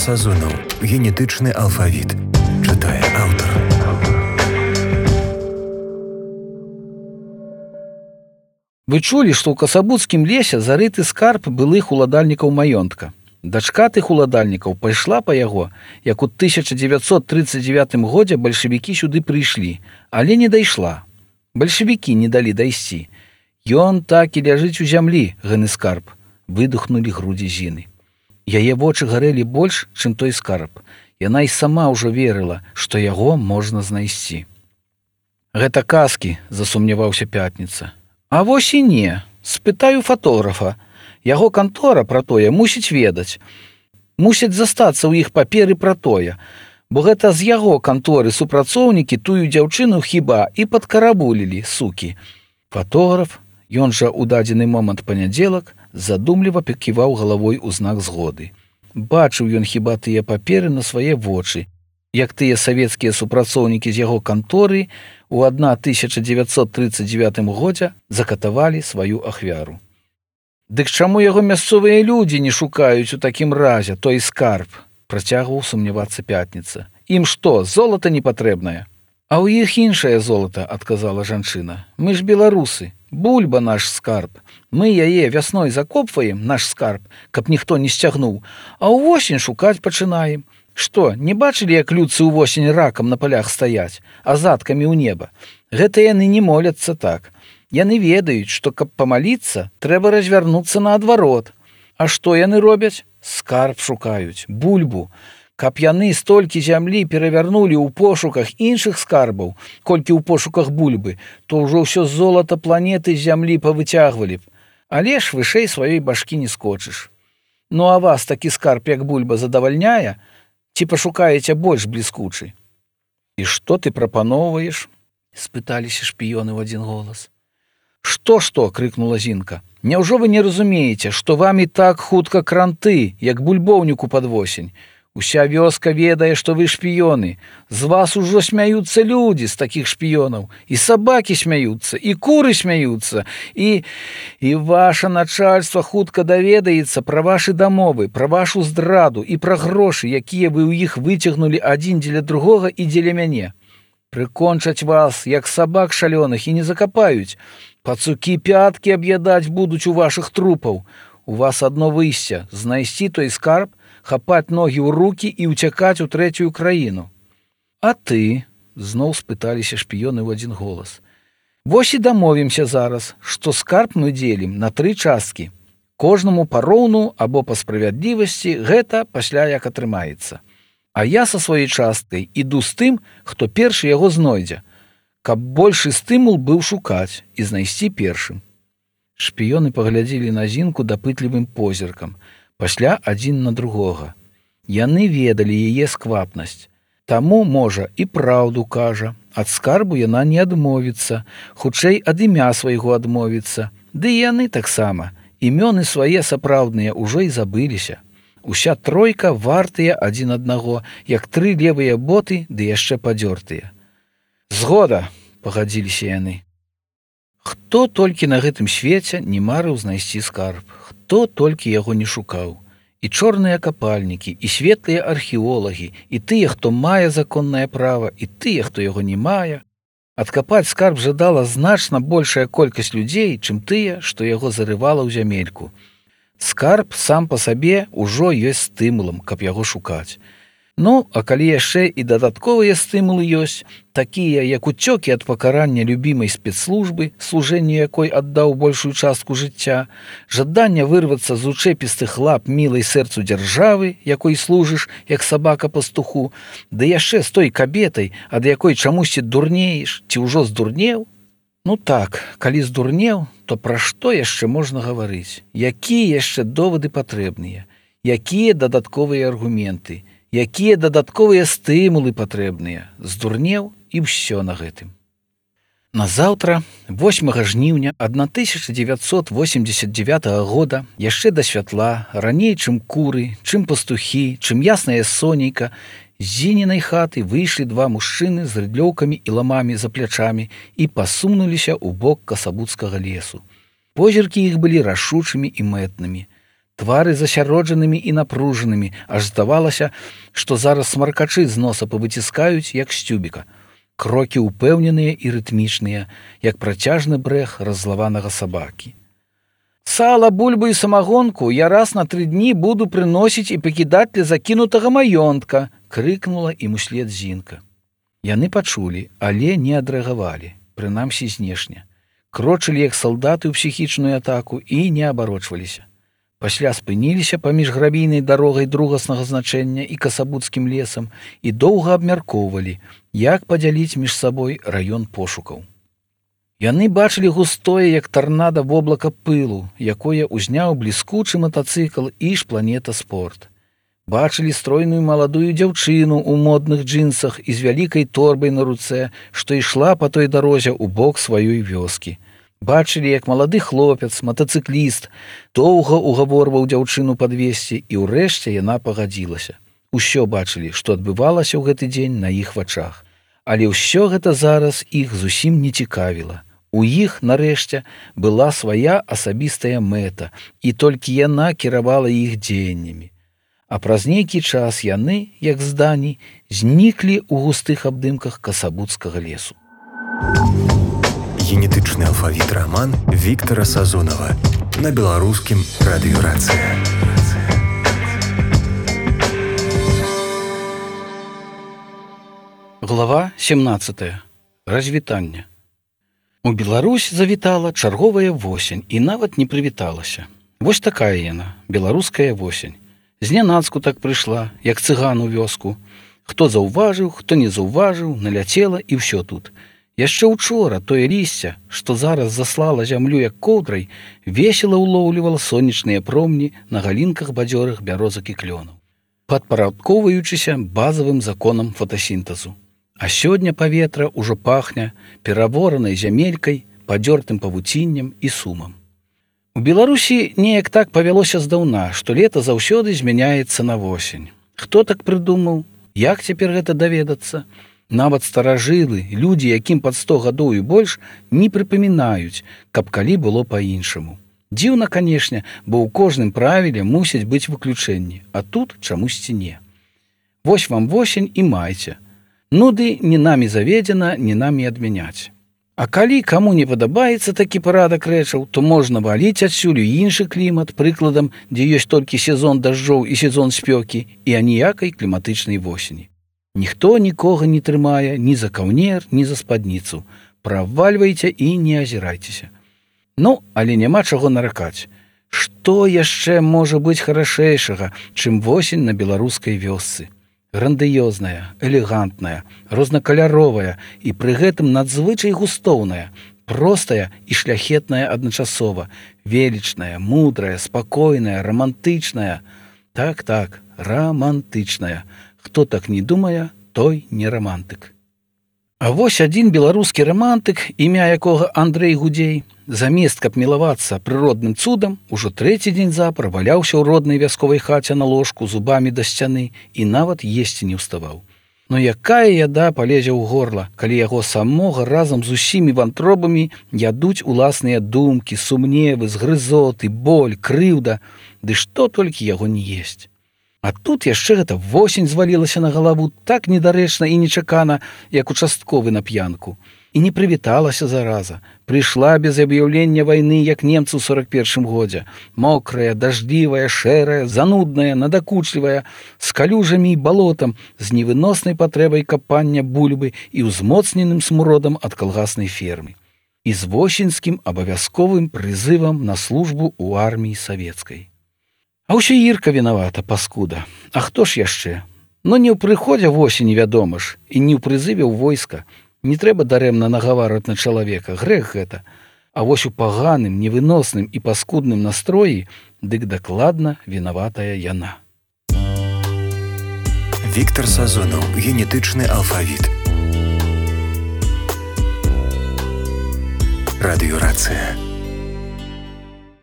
Сазонов. Генетычны алфавіт. Чытае аўтар. Вы чулі, што ў касабуцкім лесе зарыты скарб былых уладальнікаў маёнтка. Дачка тых уладальнікаў пайшла па яго, як у 1939 годзе бальшавікі сюды прыйшлі, але не дайшла. Бальшавікі не далі дайсці. Ён так і ляжыць у зямлі, гэны скарб. Выдохнулі грудзі Зіны. Яе вочы гарэлі больш, чым той скарб. Яна і сама ўжо верыла, што яго можна знайсці. Гэта казкі, засумняваўся Пятніца. А вось і не. Спытаю фатографа. Яго кантора пра тое мусіць ведаць. Мусяць застацца ў іх паперы пра тое, бо гэта з яго канторы супрацоўнікі тую дзяўчыну хіба і падкарабулілі, сукі. Фатограф, ён жа ў дадзены момант панядзелак, задумліва паківаў галавой у знак згоды. Бачыў ён хіба тыя паперы на свае вочы, як тыя савецкія супрацоўнікі з яго канторы ў 1939 годзе закатавалі сваю ахвяру. Дык чаму яго мясцовыя людзі не шукаюць у такім разе той скарб? Працягваў сумнявацца Пятніца. Ім што, золата не патрэбнае? А ў іх іншае золата, адказала жанчына. Мы ж беларусы. Бульба наш скарб. Мы яе вясной закопваем, наш скарб, каб ніхто не сцягнуў, а ўвосень шукаць пачынаем. Што, не бачылі, як людцы ўвосень ракам на палях стаяць, а задкамі ў неба? Гэта яны не моляцца так. Яны ведаюць, што каб памаліцца, трэба развярнуцца наадварот. А што яны робяць? Скарб шукаюць, бульбу. Каб яны столькі зямлі перавярнулі ў пошуках іншых скарбаў, колькі ў пошуках бульбы, то ўжо ўсё золата планеты з зямлі павыцягвалі б. Але ж вышэй сваёй башкі не скочыш. Ну а вас такі скарб, як бульба, задавальняе? Ці пашукаеце больш бліскучы? І што ты прапаноўваеш? Спыталіся шпіёны ў адзін голас. Што, крыкнула Зінка. Няўжо вы не разумееце, што вам і так хутка кранты, як бульбоўніку пад восень? Уся вёска ведае, што вы шпіёны. З вас ужо смяюцца людзі з такіх шпіёнаў. І сабакі смяюцца, і куры смяюцца, і ваша начальства хутка даведаецца пра вашы дамовы, пра вашу здраду і пра грошы, якія вы ў іх выцягнулі адзін дзеля другога і дзеля мяне. Прыкончаць вас, як сабак шалёных, і не закапаюць. Пацукі пяткі аб'ядаць будуць у вашых трупаў. У вас адно выйсце – знайсці той скарб, хапаць ногі ў рукі і ўцякаць у трэцюю краіну. А ты? Зноў спыталіся шпіёны ў адзін голас. Вось і дамовімся зараз, што скарб мы дзелім на 3 часткі. Кожнаму пароўну або па справядлівасці, гэта пасля як атрымаецца. А я са сваёй часткай іду з тым, хто першы яго знойдзе, каб большы стымул быў шукаць і знайсці першым. Шпіёны паглядзелі на Зінку дапытлівым позіркам, пасля адзін на другога. Яны ведалі яе сквапнасць. Таму, можа, і праўду кажа. Ад скарбу яна не адмовіцца, хутчэй ад імя свайго адмовіцца. Ды і яны таксама. Імёны свае сапраўдныя ўжо і забыліся. Уся тройка вартыя адзін аднаго, як 3 левыя боты, ды яшчэ падзёртыя. Згода, пагадзіліся яны. Хто толькі на гэтым свеце не марыў знайсці скарб, хто толькі яго не шукаў. І чорныя капальнікі, і светлыя археолагі, і тыя, хто мае законнае права, і тыя, хто яго не мае. Адкапаць скарб жадала значна большая колькасць людзей, чым тыя, што яго зарывала ў зямельку. Скарб сам па сабе ўжо ёсць стымулам, каб яго шукаць. Ну, а калі яшчэ і дадатковыя стымулы ёсць, такія, як уцёкі ад пакарання любімай спецслужбы, служэнню якой аддаў большую частку жыцця, жаданне вырвацца з учэпістых лап мілай сэрцу дзяржавы, якой служыш, як сабака пастуху, ды яшчэ з той кабетай, ад якой чамусьці дурнееш, ці ўжо здурнеў? Ну так, калі здурнеў, то пра што яшчэ можна гаварыць? Якія яшчэ довады патрэбныя? Якія дадатковыя аргументы? Якія дадатковыя стымулы патрэбныя? Здурнеў і ўсё на гэтым. Назаўтра, 8 жніўня 1989 года, яшчэ да святла, раней, чым куры, чым пастухі, чым яснае сонейка, з Зінінай хаты выйшлі 2 мужчыны з рыдлёўкамі і ламамі за плячамі і пасунуліся ў бок касабуцкага лесу. Позіркі іх былі рашучымі і мэтнымі. Твары засяроджанымі і напружанымі, аж здавалася, што зараз смаркачы з носа павыціскаюць, як з цюбіка. Крокі ўпэўненыя і рытмічныя, як працяжны брэх раззлаванага сабакі. «Сала, бульбу і самагонку я раз на 3 дні буду прыносіць і пакідаць для закінутага маёнтка», крыкнула ім услед Зінка. Яны пачулі, але не адрэагавалі, прынамсі знешне. Крочылі, як салдаты ў псіхічную атаку і не абарочваліся. Пасля спыніліся паміж грабійнай дарогай другаснага значэння і касабуцкім лесам і доўга абмяркоўвалі, як падзяліць між сабой раён пошукаў. Яны бачылі густое, як тарнада воблака пылу, якое ўзняў бліскучы матацыкл і Планета Спорт. Бачылі стройную маладую дзяўчыну ў модных джинсах і з вялікай торбай на руцэ, што ішла па той дарозе ў бок сваёй вёскі. Бачылі, як малады хлопец, матацыкліст, доўга угаворваў дзяўчыну падвесці, і ўрэшце яна пагадзілася. Усё бачылі, што адбывалася ў гэты дзень на іх вачах. Але ўсё гэта зараз іх зусім не цікавіла. У іх, нарэшце, была свая асабістая мэта, і толькі яна кіравала іх дзеяннямі. А праз нейкі час яны, як здані, зніклі ў густых абдымках касабуцкага лесу. Генетычны алфавіт раман Віктара Сазонава на беларускім радыё «Рацыя». Глава 17. Развітанне. У Беларусь завітала чарговая восень і нават не прывіталася. Вось такая яна, беларуская восень. Знянацку так прыйшла, як цыган у вёску. Хто заўважыў, хто не заўважыў, наляцела і ўсё тут. Яшчэ учора тое лісце, што зараз заслала зямлю як коўдрай, весела ўлоўлівала сонечныя промні на галінках бадзёрых бярозак і клёнаў, падпарадкоўваючыся базавым законам фотасінтэзу. А сёння паветра ўжо пахне пераворанай зямелькай, падзёртым павуціннем і сумам. У Беларусі неяк так павялося здаўна, што лета заўсёды змяняецца на восень. Хто так прыдумаў? Як цяпер гэта даведацца? Нават старажылы, людзі, якім пад 100 гадоў і больш, не прыпамінаюць, каб калі было па-іншаму. Дзіўна, канешне, бо ў кожным правіле мусяць быць выключэнні, а тут чамусьці не. Вось вам восень і майце. Нуды не намі заведзена, не намі адмяняць. А калі каму не падабаецца такі парадак рэчаў, то можна валіць адсюль у іншы клімат, прыкладам, дзе ёсць толькі сезон дажджоў і сезон спёкі, і аніякай кліматычнай восені. Ніхто нікога не трымае ні за каўнер, ні за спадніцу. Правальвайце і не азірайцеся. Ну, але няма чаго наракаць. Што яшчэ можа быць харашэйшага, чым восень на беларускай вёсцы? Грандыёзная, элегантная, рознакаляровая і пры гэтым надзвычай густоўная, простая і шляхетная адначасова, велічная, мудрая, спакойная, рамантычная. Так, рамантычная. Хто так не думае, той не рамантык. А вось адзін беларускі рамантык, імя якога Андрэй Гудзей, замест каб мілавацца прыродным цудам, ужо 3-й дзень запар валяўся ў роднай вясковай хаце на ложку зубамі да сцяны і нават есці не ўставаў. Но якая яда палезе ў горла, калі яго самога разам з усімі вантробамі ядуць уласныя думкі, сумневы, згрызоты, боль, крыўда, ды што толькі яго не есць. А тут яшчэ гэта восень звалілася на галаву так недарэчна і нечакана, як участковы на п'янку. І не прывіталася зараза. Прыйшла без аб'яўлення вайны, як немцы ў 41-м годзе. Мокрая, даждливая, шэрая, занудная, надакучлівая, з калюжамі і балотам, з невыноснай патрэбай капання бульбы і ўзмоцненым смуродам ад калгаснай фермы. І з восеньскім абавязковым прызывам на службу ў арміі савецкай. А ўсё Ірка вінавата, паскуда. А хто ж яшчэ? Ну не ў прыходзе восені, вядома ж, і не ў прызыве ў войска. Не трэба дарэмна нагаварваць на чалавека, грэх гэта. А вось у паганым, невыносным і паскудным настроі дык дакладна вінаватая яна. Віктар Сазонаў. Генетычны алфавіт. Радыё «Рацыя».